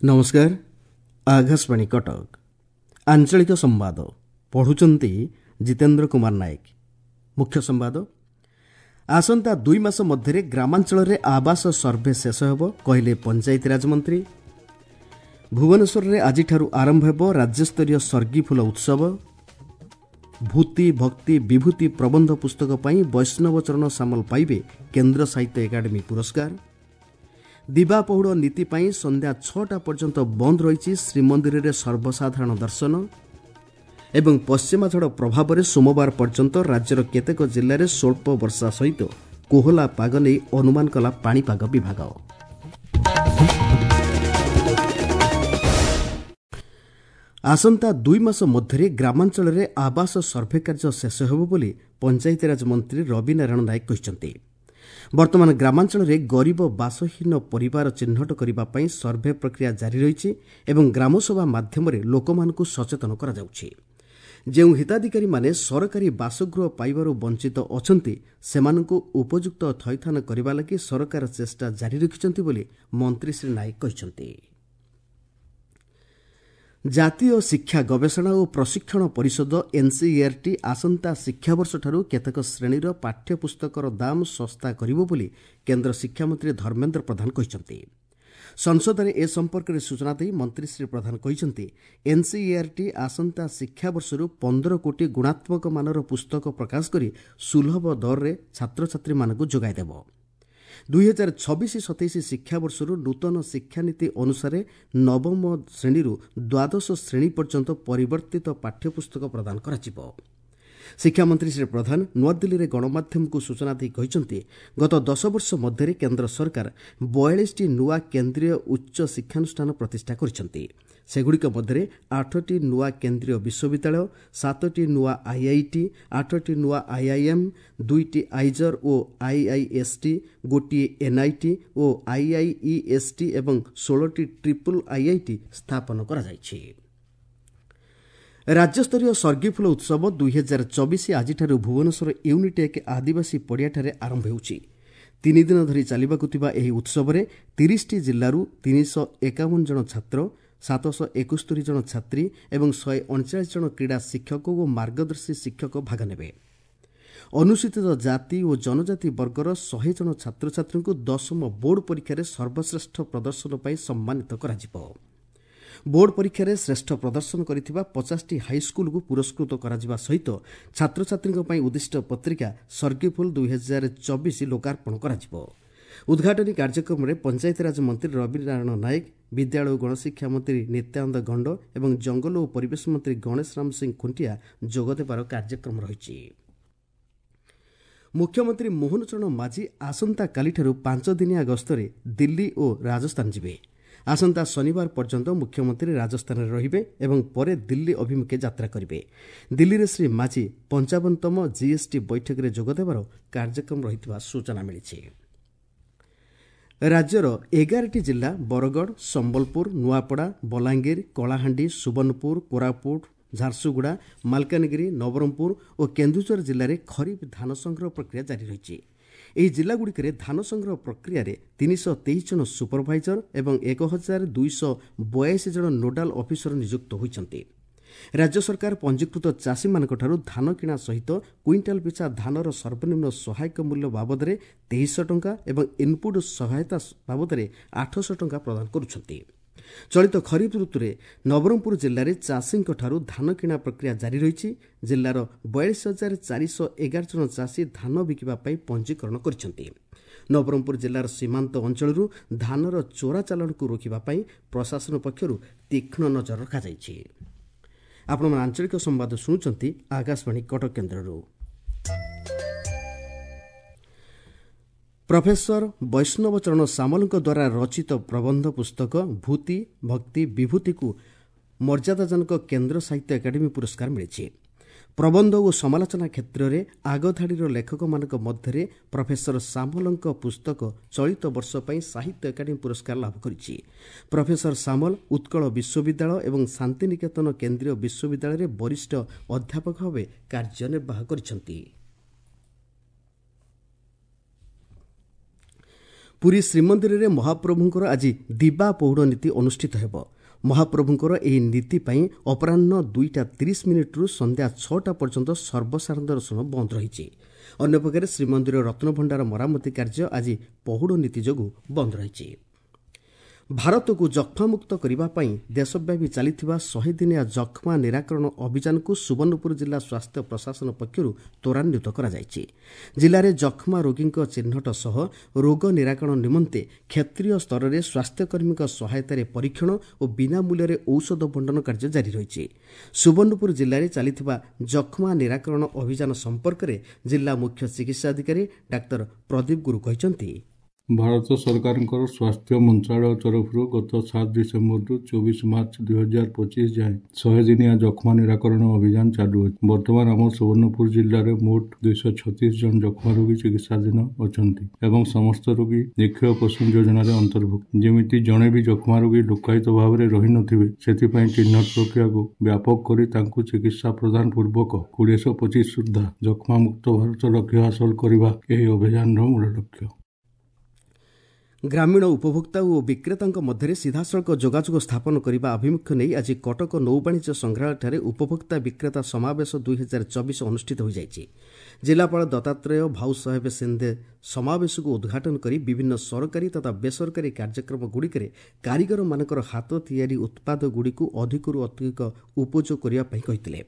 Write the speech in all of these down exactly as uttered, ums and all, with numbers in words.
ନମସ୍କାର, ଆକାଶବାଣୀ କଟକ। ଆଞ୍ଚଳିକ ସମ୍ବାଦ ପଢ଼ୁଛନ୍ତି ଜିତେନ୍ଦ୍ର କୁମାର ନାୟକ। ମୁଖ୍ୟ ସମ୍ବାଦ। ଆସନ୍ତା ଦୁଇ ମାସ ମଧ୍ୟରେ ଗ୍ରାମାଞ୍ଚଳରେ ଆବାସ ସର୍ଭେ ଶେଷ ହେବ, କହିଲେ ପଞ୍ଚାୟତିରାଜ ମନ୍ତ୍ରୀ। ଭୁବନେଶ୍ୱରରେ ଆଜିଠାରୁ ଆରମ୍ଭ ହେବ ରାଜ୍ୟସ୍ତରୀୟ ସର୍ଗିଫୁଲ ଉତ୍ସବ। ଭୂତି ଭକ୍ତି ବିଭୂତି ପ୍ରବନ୍ଧ ପୁସ୍ତକ ପାଇଁ ବୈଷ୍ଣବ ଚରଣ ସାମଲ ପାଇବେ କେନ୍ଦ୍ର ସାହିତ୍ୟ ଏକାଡେମୀ ପୁରସ୍କାର। ଦିବା ପହୁଡ଼ ନୀତି ପାଇଁ ସନ୍ଧ୍ୟା ଛଅଟା ପର୍ଯ୍ୟନ୍ତ ବନ୍ଦ ରହିଛି ଶ୍ରୀମନ୍ଦିରରେ ସର୍ବସାଧାରଣ ଦର୍ଶନ। ଏବଂ ପଶ୍ଚିମା ଝଡ଼ ପ୍ରଭାବରେ ସୋମବାର ପର୍ଯ୍ୟନ୍ତ ରାଜ୍ୟର କେତେକ ଜିଲ୍ଲାରେ ସ୍ୱଳ୍ପ ବର୍ଷା ସହିତ କୋହଲା ପାଗ ନେଇ ଅନୁମାନ କଲା ପାଣିପାଗ ବିଭାଗ। ଆସନ୍ତା ଦୁଇ ମାସ ମଧ୍ୟରେ ଗ୍ରାମାଞ୍ଚଳରେ ଆବାସ ସର୍ଭେ କାର୍ଯ୍ୟ ଶେଷ ହେବ ବୋଲି ପଞ୍ଚାୟତିରାଜ ମନ୍ତ୍ରୀ ରବି ନାରାୟଣ ନାୟକ କହିଛନ୍ତି। ବର୍ତ୍ତମାନ ଗ୍ରାମାଞ୍ଚଳରେ ଗରିବ ବାସହୀନ ପରିବାର ଚିହ୍ନଟ କରିବା ପାଇଁ ସର୍ଭେ ପ୍ରକ୍ରିୟା ଜାରି ରହିଛି ଏବଂ ଗ୍ରାମସଭା ମାଧ୍ୟମରେ ଲୋକମାନଙ୍କୁ ସଚେତନ କରାଯାଉଛି। ଯେଉଁ ହିତାଧିକାରୀମାନେ ସରକାରୀ ବାସଗୃହ ପାଇବାରୁ ବଞ୍ଚିତ ଅଛନ୍ତି, ସେମାନଙ୍କୁ ଉପଯୁକ୍ତ ଥଇଥାନ କରିବା ଲାଗି ସରକାର ଚେଷ୍ଟା ଜାରି ରଖିଛନ୍ତି ବୋଲି ମନ୍ତ୍ରୀ ଶ୍ରୀ ନାୟକ କହିଛନ୍ତି। ଜାତୀୟ ଶିକ୍ଷା ଗବେଷଣା ଓ ପ୍ରଶିକ୍ଷଣ ପରିଷଦ ଏନ୍ସିଇଆର୍ଟି ଆସନ୍ତା ଶିକ୍ଷାବର୍ଷଠାରୁ କେତେକ ଶ୍ରେଣୀର ପାଠ୍ୟପୁସ୍ତକର ଦାମ ଶସ୍ତା କରିବ ବୋଲି କେନ୍ଦ୍ର ଶିକ୍ଷାମନ୍ତ୍ରୀ ଧର୍ମେନ୍ଦ୍ର ପ୍ରଧାନ କହିଛନ୍ତି। ସଂସଦରେ ଏ ସମ୍ପର୍କରେ ସୂଚନା ଦେଇ ମନ୍ତ୍ରୀ ଶ୍ରୀ ପ୍ରଧାନ କହିଛନ୍ତି, ଏନ୍ସିଇଆର୍ଟି ଆସନ୍ତା ଶିକ୍ଷାବର୍ଷରୁ ପନ୍ଦର କୋଟି ଗୁଣାତ୍ମକ ମାନର ପୁସ୍ତକ ପ୍ରକାଶ କରି ସୁଲଭ ଦରରେ ଛାତ୍ରଛାତ୍ରୀମାନଙ୍କୁ ଯୋଗାଇ ଦେବ। ଦୁଇହଜାର ଛବିଶ ସତେଇଶ ଶିକ୍ଷାବର୍ଷରୁ ନୂତନ ଶିକ୍ଷାନୀତି ଅନୁସାରେ ନବମ ଶ୍ରେଣୀରୁ ଦ୍ୱାଦଶ ଶ୍ରେଣୀ ପର୍ଯ୍ୟନ୍ତ ପରିବର୍ତ୍ତିତ ପାଠ୍ୟପୁସ୍ତକ ପ୍ରଦାନ କରାଯିବ। ଶିକ୍ଷାମନ୍ତ୍ରୀ ଶ୍ରୀ ପ୍ରଧାନ ନୂଆଦିଲ୍ଲୀରେ ଗଣମାଧ୍ୟମକୁ ସୂଚନା ଦେଇ କହିଛନ୍ତି, ଗତ ଦଶ ବର୍ଷ ମଧ୍ୟରେ କେନ୍ଦ୍ର ସରକାର ବୟାଳିଶଟି ନୂଆ କେନ୍ଦ୍ରୀୟ ଉଚ୍ଚ ଶିକ୍ଷାନୁଷ୍ଠାନ ପ୍ରତିଷ୍ଠା କରିଛନ୍ତି। ସେଗୁଡ଼ିକ ମଧ୍ୟରେ ଆଠଟି ନୂଆ କେନ୍ଦ୍ରୀୟ ବିଶ୍ୱବିଦ୍ୟାଳୟ, ସାତଟି ନୂଆ ଆଇଆଇଟି, ଆଠଟି ନୂଆ ଆଇଆଇଏମ୍, ଦୁଇଟି ଆଇଜର୍ ଓ ଆଇଆଇଏସ୍ଟି, ଗୋଟିଏ ଏନ୍ଆଇଟି ଓ ଆଇଆଇଇଏସ୍ଟି ଏବଂ ଷୋହଳଟି ଟ୍ରିପୁଲ୍ ଆଇଆଇଟି ସ୍ଥାପନ କରାଯାଇଛି। ରାଜ୍ୟସ୍ତରୀୟ ସର୍ଗିଫୁଲ ଉତ୍ସବ ଦୁଇହଜାର ଚବିଶ ଆଜିଠାରୁ ଭୁବନେଶ୍ୱର ୟୁନିଟେକ୍ ଆଦିବାସୀ ପଡ଼ିଆଠାରେ ଆରମ୍ଭ ହେଉଛି। ତିନି ଦିନ ଧରି ଚାଲିବାକୁ ଥିବା ଏହି ଉତ୍ସବରେ ତିରିଶଟି ଜିଲ୍ଲାରୁ ତିନିଶହ ଏକାବନ ଜଣ ଛାତ୍ର, ସାତଶହ ଏକସ୍ତରୀ ଜଣ ଛାତ୍ରୀ ଏବଂ ଶହେ ଅଣଚାଳିଶ ଜଣ କ୍ରୀଡ଼ା ଶିକ୍ଷକ ଓ ମାର୍ଗଦର୍ଶୀ ଶିକ୍ଷକ ଭାଗ ନେବେ। ଅନୁସୂଚିତ ଜାତି ଓ ଜନଜାତି ବର୍ଗର ଶହେ ଜଣ ଛାତ୍ରଛାତ୍ରୀଙ୍କୁ ଦଶମ ବୋର୍ଡ ପରୀକ୍ଷାରେ ସର୍ବଶ୍ରେଷ୍ଠ ପ୍ରଦର୍ଶନ ପାଇଁ ସମ୍ମାନିତ କରାଯିବ। ବୋର୍ଡ ପରୀକ୍ଷାରେ ଶ୍ରେଷ୍ଠ ପ୍ରଦର୍ଶନ କରିଥିବା ପଚାଶଟି ହାଇସ୍କୁଲକୁ ପୁରସ୍କୃତ କରାଯିବା ସହିତ ଛାତ୍ରଛାତ୍ରୀଙ୍କ ପାଇଁ ଉଦ୍ଦିଷ୍ଟ ପତ୍ରିକା ସର୍ଗିଫୁଲ ଦୁଇହଜାର ଚବିଶ ଲୋକାର୍ପଣ କରାଯିବ। ଉଦ୍ଘାଟନୀ କାର୍ଯ୍ୟକ୍ରମରେ ପଞ୍ଚାୟତିରାଜ ମନ୍ତ୍ରୀ ରବି ନାରାୟଣ ନାୟକ, ବିଦ୍ୟାଳୟ ଓ ଗଣଶିକ୍ଷା ମନ୍ତ୍ରୀ ନିତ୍ୟାନନ୍ଦ ଗଣ୍ଡ ଏବଂ ଜଙ୍ଗଲ ଓ ପରିବେଶ ମନ୍ତ୍ରୀ ଗଣେଶ ରାମ ସିଂ ଖୁଣ୍ଟିଆ ଯୋଗଦେବାର କାର୍ଯ୍ୟକ୍ରମ ରହିଛି। ମୁଖ୍ୟମନ୍ତ୍ରୀ ମୋହନ ଚରଣ ମାଝୀ ଆସନ୍ତାକାଲିଠାରୁ ପାଞ୍ଚ ଦିନିଆ ଗସ୍ତରେ ଦିଲ୍ଲୀ ଓ ରାଜସ୍ଥାନ ଯିବେ। ଆସନ୍ତା ଶନିବାର ପର୍ଯ୍ୟନ୍ତ ମୁଖ୍ୟମନ୍ତ୍ରୀ ରାଜସ୍ଥାନରେ ରହିବେ ଏବଂ ପରେ ଦିଲ୍ଲୀ ଅଭିମୁଖେ ଯାତ୍ରା କରିବେ। ଦିଲ୍ଲୀରେ ଶ୍ରୀ ମାଝୀ ପଞ୍ଚାବନତମ ଜିଏସ୍ଟି ବୈଠକରେ ଯୋଗଦେବାର କାର୍ଯ୍ୟକ୍ରମ ରହିଥିବା ସୂଚନା ମିଳିଛି। ରାଜ୍ୟର ଏଗାରଟି ଜିଲ୍ଲା ବରଗଡ଼, ସମ୍ବଲପୁର, ନୂଆପଡ଼ା, ବଲାଙ୍ଗୀର, କଳାହାଣ୍ଡି, ସୁବର୍ଣ୍ଣପୁର, କୋରାପୁଟ, ଝାରସୁଗୁଡ଼ା, ମାଲକାନଗିରି, ନବରଙ୍ଗପୁର ଓ କେନ୍ଦୁଝର ଜିଲ୍ଲାରେ ଖରିଫ ଧାନ ସଂଗ୍ରହ ପ୍ରକ୍ରିୟା ଜାରି ରହିଛି। ଏହି ଜିଲ୍ଲାଗୁଡ଼ିକରେ ଧାନ ସଂଗ୍ରହ ପ୍ରକ୍ରିୟାରେ ତିନିଶହ ତେଇଶ ଜଣ ସୁପରଭାଇଜର ଏବଂ ଏକ ହଜାର ଦୁଇଶହ ବୟାଅଶୀ ଜଣ ନୋଡାଲ ଅଫିସର ନିଯୁକ୍ତ ହୋଇଛନ୍ତି। ରାଜ୍ୟ ସରକାର ପଞ୍ଜୀକୃତ ଚାଷୀମାନଙ୍କଠାରୁ ଧାନ କିଣା ସହିତ କୁଇଣ୍ଟାଲ ପିଛା ଧାନର ସର୍ବନିମ୍ନ ସହାୟକ ମୂଲ୍ୟ ବାବଦରେ ତେଇଶଶହ ଟଙ୍କା ଏବଂ ଇନ୍ପୁଟ୍ ସହାୟତା ବାବଦରେ ଆଠଶହ ଟଙ୍କା ପ୍ରଦାନ କରୁଛନ୍ତି। ଚଳିତ ଖରିଫ ଋତୁରେ ନବରଙ୍ଗପୁର ଜିଲ୍ଲାରେ ଚାଷୀଙ୍କଠାରୁ ଧାନ କିଣା ପ୍ରକ୍ରିୟା ଜାରି ରହିଛି। ଜିଲ୍ଲାର ବୟାଳିଶ ହଜାର ଚାରିଶହ ଏଗାର ଜଣ ଚାଷୀ ଧାନ ବିକିବା ପାଇଁ ପଞ୍ଜୀକରଣ କରିଛନ୍ତି। ନବରଙ୍ଗପୁର ଜିଲ୍ଲାର ସୀମାନ୍ତ ଅଞ୍ଚଳରୁ ଧାନର ଚୋରା ଚାଲାଣକୁ ରୋକିବା ପାଇଁ ପ୍ରଶାସନ ପକ୍ଷରୁ ତୀକ୍ଷ୍ଣ ନଜର ରଖାଯାଇଛି। ଆପଣମାନେ ଆଞ୍ଚଳିକ ସମ୍ବାଦ ଶୁଣୁଛନ୍ତି ଆକାଶବାଣୀ କଟକ କେନ୍ଦ୍ରରୁ। ପ୍ରଫେସର ବୈଷ୍ଣବ ଚରଣ ସାମଲଙ୍କ ଦ୍ୱାରା ରଚିତ ପ୍ରବନ୍ଧ ପୁସ୍ତକ ଭୂତି ଭକ୍ତି ବିଭୂତିକୁ ମର୍ଯ୍ୟାଦାଜନକ କେନ୍ଦ୍ର ସାହିତ୍ୟ ଏକାଡେମୀ ପୁରସ୍କାର ମିଳିଛି। ପ୍ରବନ୍ଧ ଓ ସମାଲୋଚନା କ୍ଷେତ୍ରରେ ଆଗଧାଡ଼ିର ଲେଖକମାନଙ୍କ ମଧ୍ୟରେ ପ୍ରଫେସର ସାମଲଙ୍କ ପୁସ୍ତକ ଚଳିତ ବର୍ଷ ପାଇଁ ସାହିତ୍ୟ ଏକାଡେମୀ ପୁରସ୍କାର ଲାଭ କରିଛି। ପ୍ରଫେସର ସାମଲ ଉତ୍କଳ ବିଶ୍ୱବିଦ୍ୟାଳୟ ଏବଂ ଶାନ୍ତିନିକେତନ କେନ୍ଦ୍ରୀୟ ବିଶ୍ୱବିଦ୍ୟାଳୟରେ ବରିଷ୍ଠ ଅଧ୍ୟାପକ ଭାବେ କାର୍ଯ୍ୟନିର୍ବାହ କରିଛନ୍ତି। ପୁରୀ ଶ୍ରୀମନ୍ଦିରରେ ମହାପ୍ରଭୁଙ୍କର ଆଜି ଦିବା ପହୁଡ଼ ନୀତି ଅନୁଷ୍ଠିତ ହେବ। ମହାପ୍ରଭୁଙ୍କର ଏହି ନୀତି ପାଇଁ ଅପରାହ୍ନ ଦୁଇଟା ତିରିଶ ମିନିଟ୍ରୁ ସନ୍ଧ୍ୟା ଛଅଟା ପର୍ଯ୍ୟନ୍ତ ସର୍ବସାଧାରଣ ଦର୍ଶନ ବନ୍ଦ ରହିଛି। ଅନ୍ୟପକ୍ଷରେ ଶ୍ରୀମନ୍ଦିର ରତ୍ନଭଣ୍ଡାର ମରାମତି କାର୍ଯ୍ୟ ଆଜି ପହୁଡ଼ ନୀତି ଯୋଗୁଁ ବନ୍ଦ ରହିଛି। ଭାରତକୁ ଯକ୍ଷ୍ମାମୁକ୍ତ କରିବା ପାଇଁ ଦେଶବ୍ୟାପୀ ଚାଲିଥିବା ଶହେ ଦିନିଆ ଯକ୍ଷ୍ମା ନିରାକରଣ ଅଭିଯାନକୁ ସୁବର୍ଣ୍ଣପୁର ଜିଲ୍ଲା ସ୍ୱାସ୍ଥ୍ୟ ପ୍ରଶାସନ ପକ୍ଷରୁ ତ୍ୱରାନ୍ୱିତ କରାଯାଇଛି। ଜିଲ୍ଲାରେ ଯକ୍ଷ୍ମା ରୋଗୀଙ୍କ ଚିହ୍ନଟ ସହ ରୋଗ ନିରାକରଣ ନିମନ୍ତେ କ୍ଷେତ୍ରୀୟ ସ୍ତରରେ ସ୍ୱାସ୍ଥ୍ୟକର୍ମୀଙ୍କ ସହାୟତାରେ ପରୀକ୍ଷଣ ଓ ବିନା ମୂଲ୍ୟରେ ଔଷଧ ବଣ୍ଟନ କାର୍ଯ୍ୟ ଜାରି ରହିଛି। ସୁବର୍ଣ୍ଣପୁର ଜିଲ୍ଲାରେ ଚାଲିଥିବା ଯକ୍ଷ୍ମା ନିରାକରଣ ଅଭିଯାନ ସମ୍ପର୍କରେ ଜିଲ୍ଲା ମୁଖ୍ୟ ଚିକିତ୍ସାଧିକାରୀ ଡାକ୍ତର ପ୍ରଦୀପ ଗୁରୁ କହିଛନ୍ତି, ଭାରତ ସରକାରଙ୍କର ସ୍ୱାସ୍ଥ୍ୟ ମନ୍ତ୍ରାଳୟ ତରଫରୁ ଗତ ସାତ ଡିସେମ୍ବରରୁ ଚବିଶ ମାର୍ଚ୍ଚ ଦୁଇ ହଜାର ପଚିଶ ଯାଏଁ ଶହେ ଦିନିଆ ଯକ୍ଷ୍ମା ନିରାକରଣ ଅଭିଯାନ ଚାଲୁଅଛି। ବର୍ତ୍ତମାନ ଆମ ସୁବର୍ଣ୍ଣପୁର ଜିଲ୍ଲାରେ ମୋଟ ଦୁଇଶହ ଛତିଶ ଜଣ ଯକ୍ଷ୍ମା ରୋଗୀ ଚିକିତ୍ସାଧୀନ ଅଛନ୍ତି ଏବଂ ସମସ୍ତ ରୋଗୀ ନିକ୍ଷୟ ପୋଷଣ ଯୋଜନାରେ ଅନ୍ତର୍ଭୁକ୍ତ। ଯେମିତି ଜଣେ ବି ଯକ୍ଷ୍ମା ରୋଗୀ ଲୁକ୍କାୟିତ ଭାବରେ ରହିନଥିବେ ସେଥିପାଇଁ ଚିହ୍ନଟ ପ୍ରକ୍ରିୟାକୁ ବ୍ୟାପକ କରି ତାଙ୍କୁ ଚିକିତ୍ସା ପ୍ରଦାନ ପୂର୍ବକ କୋଡ଼ିଏଶହ ପଚିଶ ସୁଦ୍ଧା ଯକ୍ଷ୍ମାମୁକ୍ତ ଭାରତ ଲକ୍ଷ୍ୟ ହାସଲ କରିବା ଏହି ଅଭିଯାନର ମୂଳ ଲକ୍ଷ୍ୟ। ଗ୍ରାମୀଣ ଉପଭୋକ୍ତା ଓ ବିକ୍ରେତାଙ୍କ ମଧ୍ୟରେ ସିଧାସଳଖ ଯୋଗାଯୋଗ ସ୍ଥାପନ କରିବା ଆଭିମୁଖ୍ୟ ନେଇ ଆଜି କଟକ ନୌବାଣିଜ୍ୟ ସଂଗ୍ରହାଳୟଠାରେ ଉପଭୋକ୍ତା ବିକ୍ରେତା ସମାବେଶ ଦୁଇ ହଜାର ଚବିଶ ଅନୁଷ୍ଠିତ ହୋଇଯାଇଛି। ଜିଲ୍ଲାପାଳ ଦତ୍ତାତ୍ରେୟ ଭାଉସାହେବ ସିନ୍ଦେ ସମାବେଶକୁ ଉଦ୍ଘାଟନ କରି ବିଭିନ୍ନ ସରକାରୀ ତଥା ବେସରକାରୀ କାର୍ଯ୍ୟକ୍ରମଗୁଡ଼ିକରେ କାରିଗରମାନଙ୍କର ହାତ ତିଆରି ଉତ୍ପାଦଗୁଡ଼ିକୁ ଅଧିକରୁ ଅଧିକ ଉପଯୋଗ କରିବା ପାଇଁ କହିଥିଲେ।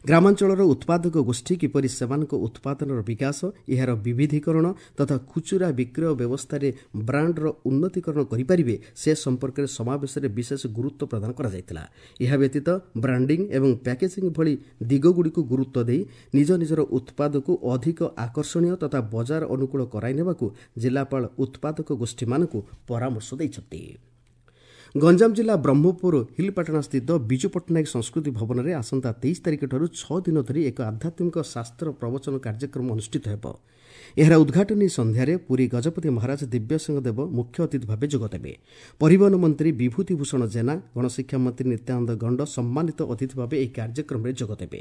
ଗ୍ରାମାଞ୍ଚଳର ଉତ୍ପାଦକ ଗୋଷ୍ଠୀ କିପରି ସେମାନଙ୍କ ଉତ୍ପାଦନର ବିକାଶ, ଏହାର ବିବିଧୀକରଣ ତଥା ଖୁଚୁରା ବିକ୍ରୟ ବ୍ୟବସ୍ଥାରେ ବ୍ରାଣ୍ଡର ଉନ୍ନତିକରଣ କରିପାରିବେ ସେ ସମ୍ପର୍କରେ ସମାବେଶରେ ବିଶେଷ ଗୁରୁତ୍ୱ ପ୍ରଦାନ କରାଯାଇଥିଲା। ଏହା ବ୍ୟତୀତ ବ୍ରାଣ୍ଡିଂ ଏବଂ ପ୍ୟାକେଜିଂ ଭଳି ଦିଗଗୁଡ଼ିକୁ ଗୁରୁତ୍ୱ ଦେଇ ନିଜ ନିଜର ଉତ୍ପାଦକୁ ଅଧିକ ଆକର୍ଷଣୀୟ ତଥା ବଜାର ଅନୁକୂଳ କରାଇ ନେବାକୁ ଜିଲ୍ଲାପାଳ ଉତ୍ପାଦକ ଗୋଷ୍ଠୀମାନଙ୍କୁ ପରାମର୍ଶ ଦେଇଛନ୍ତି। ଗଞ୍ଜାମ ଜିଲ୍ଲା ବ୍ରହ୍ମପୁର ହିଲପାଟଣା ସ୍ଥିତ ବିଜୁ ପଟ୍ଟନାୟକ ସଂସ୍କୃତି ଭବନରେ ଆସନ୍ତା ତେଇଶ ତାରିଖଠାରୁ ଛଅ ଦିନ ଧରି ଏକ ଆଧ୍ୟାତ୍ମିକ ଶାସ୍ତ୍ର ପ୍ରବଚନ କାର୍ଯ୍ୟକ୍ରମ ଅନୁଷ୍ଠିତ ହେବ। ଏହାର ଉଦ୍ଘାଟନୀ ସନ୍ଧ୍ୟାରେ ପୁରୀ ଗଜପତି ମହାରାଜ ଦିବ୍ୟସିଂହ ଦେବ ମୁଖ୍ୟ ଅତିଥି ଭାବେ ଯୋଗଦେବେ। ପରିବହନ ମନ୍ତ୍ରୀ ବିଭୂତି ଭୂଷଣ ଜେନା, ଗଣଶିକ୍ଷା ମନ୍ତ୍ରୀ ନିତ୍ୟାନନ୍ଦ ଗଣ୍ଡ ସମ୍ମାନିତ ଅତିଥି ଭାବେ ଏହି କାର୍ଯ୍ୟକ୍ରମରେ ଯୋଗଦେବେ।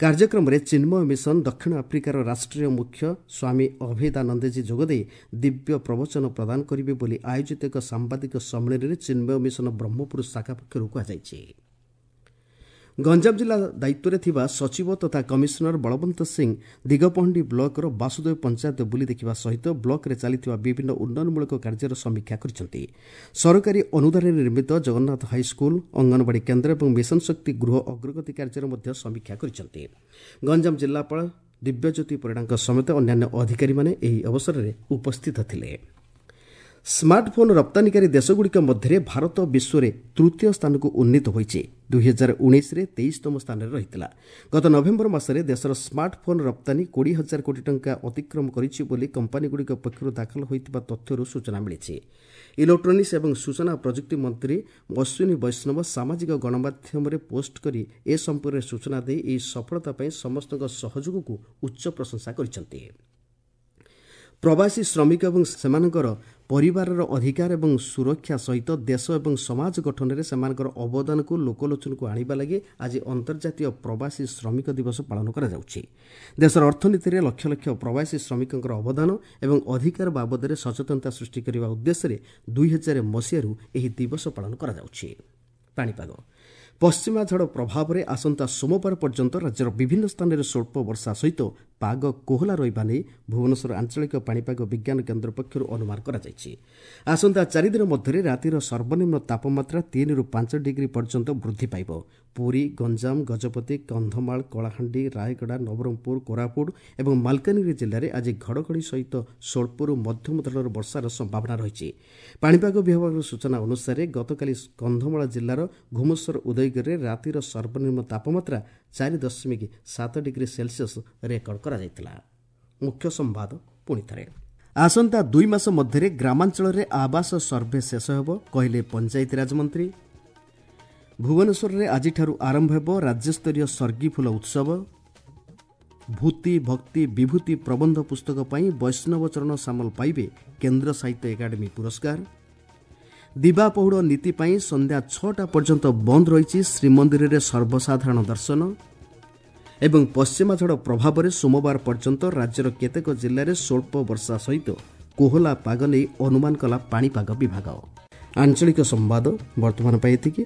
କାର୍ଯ୍ୟକ୍ରମରେ ଚିନ୍ମୟ ମିଶନ ଦକ୍ଷିଣ ଆଫ୍ରିକାର ରାଷ୍ଟ୍ରୀୟ ମୁଖ୍ୟ ସ୍ୱାମୀ ଅଭେଦାନନ୍ଦଜୀ ଯୋଗଦେଇ ଦିବ୍ୟ ପ୍ରବଚନ ପ୍ରଦାନ କରିବେ ବୋଲି ଆୟୋଜିତ ଏକ ସାମ୍ବାଦିକ ସମ୍ମିଳନୀରେ ଚିନ୍ମୟ ମିଶନ ବ୍ରହ୍ମପୁର ଶାଖା ପକ୍ଷରୁ କୁହାଯାଇଛି। ଗଞ୍ଜାମ ଜିଲ୍ଲା ଦାୟିତ୍ୱରେ ଥିବା ସଚିବ ତଥା କମିଶନର ବଳବନ୍ତ ସିଂ ଦିଗପହଣ୍ଡି ବ୍ଲକର ବାସୁଦେବ ପଞ୍ଚାୟତ ବୁଲି ଦେଖିବା ସହିତ ବ୍ଲକରେ ଚାଲିଥିବା ବିଭିନ୍ନ ଉନ୍ନୟନମୂଳକ କାର୍ଯ୍ୟର ସମୀକ୍ଷା କରିଛନ୍ତି। ସରକାରୀ ଅନୁଦାନରେ ନିର୍ମିତ ଜଗନ୍ନାଥ ହାଇସ୍କୁଲ, ଅଙ୍ଗନବାଡ଼ି କେନ୍ଦ୍ର ଏବଂ ମିଶନ ଶକ୍ତି ଗୃହ ଅଗ୍ରଗତି କାର୍ଯ୍ୟର ମଧ୍ୟ ସମୀକ୍ଷା କରିଛନ୍ତି। ଗଞ୍ଜାମ ଜିଲ୍ଲାପାଳ ଦିବ୍ୟଜ୍ୟୋତି ପରିଡ଼ାଙ୍କ ସମେତ ଅନ୍ୟାନ୍ୟ ଅଧିକାରୀମାନେ ଏହି ଅବସରରେ ଉପସ୍ଥିତ ଥିଲେ। ସ୍ମାର୍ଟଫୋନ୍ ରପ୍ତାନିକାରୀ ଦେଶଗୁଡ଼ିକ ମଧ୍ୟରେ ଭାରତ ବିଶ୍ୱରେ ତୃତୀୟ ସ୍ଥାନକୁ ଉନ୍ନୀତ ହୋଇଛି। ଦୁଇ ହଜାର ଉଣେଇଶରେ ତେଇଶତମ ସ୍ଥାନରେ ରହିଥିଲା। ଗତ ନଭେମ୍ବର ମାସରେ ଦେଶର ସ୍ମାର୍ଟଫୋନ୍ ରପ୍ତାନି କୋଡ଼ିଏ ହଜାର କୋଟି ଟଙ୍କା ଅତିକ୍ରମ କରିଛି ବୋଲି କମ୍ପାନୀଗୁଡ଼ିକ ପକ୍ଷରୁ ଦାଖଲ ହୋଇଥିବା ତଥ୍ୟରୁ ସୂଚନା ମିଳିଛି। ଇଲେକ୍ଟ୍ରୋନିକ୍ସ ଏବଂ ସୂଚନା ପ୍ରଯୁକ୍ତି ମନ୍ତ୍ରୀ ଅଶ୍ୱିନୀ ବୈଷ୍ଣବ ସାମାଜିକ ଗଣମାଧ୍ୟମରେ ପୋଷ୍ଟ କରି ଏ ସମ୍ପର୍କରେ ସୂଚନା ଦେଇ ଏହି ସଫଳତା ପାଇଁ ସମସ୍ତଙ୍କ ସହଯୋଗକୁ ଉଚ୍ଚ ପ୍ରଶଂସା କରିଛନ୍ତି। ପ୍ରବାସୀ ଶ୍ରମିକ ଏବଂ ସେମାନଙ୍କର ପରିବାରର ଅଧିକାର ଏବଂ ସୁରକ୍ଷା ସହିତ ଦେଶ ଏବଂ ସମାଜ ଗଠନରେ ସେମାନଙ୍କର ଅବଦାନକୁ ଲୋକଲୋଚନକୁ ଆଣିବା ଲାଗି ଆଜି ଅନ୍ତର୍ଜାତୀୟ ପ୍ରବାସୀ ଶ୍ରମିକ ଦିବସ ପାଳନ କରାଯାଉଛି। ଦେଶର ଅର୍ଥନୀତିରେ ଲକ୍ଷ ଲକ୍ଷ ପ୍ରବାସୀ ଶ୍ରମିକଙ୍କର ଅବଦାନ ଏବଂ ଅଧିକାର ବାବଦରେ ସଚେତନତା ସୃଷ୍ଟି କରିବା ଉଦ୍ଦେଶ୍ୟରେ ଦୁଇ ହଜାର ମସିହାରୁ ଏହି ଦିବସ ପାଳନ କରାଯାଉଛି। ପାଣିପାଗ ପଶ୍ଚିମା ଝଡ଼ ପ୍ରଭାବରେ ଆସନ୍ତା ସୋମବାର ପର୍ଯ୍ୟନ୍ତ ରାଜ୍ୟର ବିଭିନ୍ନ ସ୍ଥାନରେ ସ୍ୱଳ୍ପ ବର୍ଷା ସହିତ ପାଗ କୋହଲା ରହିବା ନେଇ ଭୁବନେଶ୍ୱର ଆଞ୍ଚଳିକ ପାଣିପାଗ ବିଜ୍ଞାନ କେନ୍ଦ୍ର ପକ୍ଷରୁ ଅନୁମାନ କରାଯାଇଛି। ଆସନ୍ତା ଚାରିଦିନ ମଧ୍ୟରେ ରାତିର ସର୍ବନିମ୍ନ ତାପମାତ୍ରା ତିନିରୁ ପାଞ୍ଚ ଡିଗ୍ରୀ ପର୍ଯ୍ୟନ୍ତ ବୃଦ୍ଧି ପାଇବ। ପୁରୀ, ଗଞ୍ଜାମ, ଗଜପତି, କନ୍ଧମାଳ, କଳାହାଣ୍ଡି, ରାୟଗଡ଼ା, ନବରଙ୍ଗପୁର, କୋରାପୁଟ ଏବଂ ମାଲକାନଗିରି ଜିଲ୍ଲାରେ ଆଜି ଘଡ଼ଘଡ଼ି ସହିତ ସ୍ୱଳ୍ପରୁ ମଧ୍ୟମ ଧରଣର ବର୍ଷାର ସମ୍ଭାବନା ରହିଛି। ପାଣିପାଗ ବିଭାଗର ସୂଚନା ଅନୁସାରେ ଗତକାଲି କନ୍ଧମାଳ ଜିଲ୍ଲାର ଘୁମୁସର ଉଦୟଗିରିରେ ରାତିର ସର୍ବନିମ୍ନ ତାପମାତ୍ରା ଚାରି ଦଶମିକ ସାତ ଡିଗ୍ରୀ ସେଲସିୟସ୍ ରେକର୍ଡ କରାଯାଇଥିଲା। ମୁଖ୍ୟ ସମ୍ବାଦ ପୁଣିଥରେ, ଆସନ୍ତା ଦୁଇ ମାସ ମଧ୍ୟରେ ଗ୍ରାମାଞ୍ଚଳରେ ଆବାସ ସର୍ଭେ ଶେଷ ହେବ କହିଲେ ପଞ୍ଚାୟତିରାଜ ମନ୍ତ୍ରୀ। ଭୁବନେଶ୍ୱରରେ ଆଜିଠାରୁ ଆରମ୍ଭ ହେବ ରାଜ୍ୟସ୍ତରୀୟ ସର୍ଗିଫୁଲ ଉତ୍ସବ। ଭୂତି ଭକ୍ତି ବିଭୂତି ପ୍ରବନ୍ଧ ପୁସ୍ତକ ପାଇଁ ବୈଷ୍ଣବ ଚରଣ ସାମଲ ପାଇବେ କେନ୍ଦ୍ର ସାହିତ୍ୟ ଏକାଡେମୀ ପୁରସ୍କାର। ଦିବା ପହୁଡ଼ ନୀତି ପାଇଁ ସନ୍ଧ୍ୟା ଛଅଟା ପର୍ଯ୍ୟନ୍ତ ବନ୍ଦ ରହିଛି ଶ୍ରୀମନ୍ଦିରରେ ସର୍ବସାଧାରଣ ଦର୍ଶନ। ଏବଂ ପଶ୍ଚିମା ଝଡ଼ ପ୍ରଭାବରେ ସୋମବାର ପର୍ଯ୍ୟନ୍ତ ରାଜ୍ୟର କେତେକ ଜିଲ୍ଲାରେ ସ୍ୱଳ୍ପ ବର୍ଷା ସହିତ କୋହଲା ପାଗ ନେଇ ଅନୁମାନ କଲା ପାଣିପାଗ ବିଭାଗ। ଆଞ୍ଚଳିକ ସମ୍ବାଦ ବର୍ତ୍ତମାନ ପାଇଁ ଏତିକି।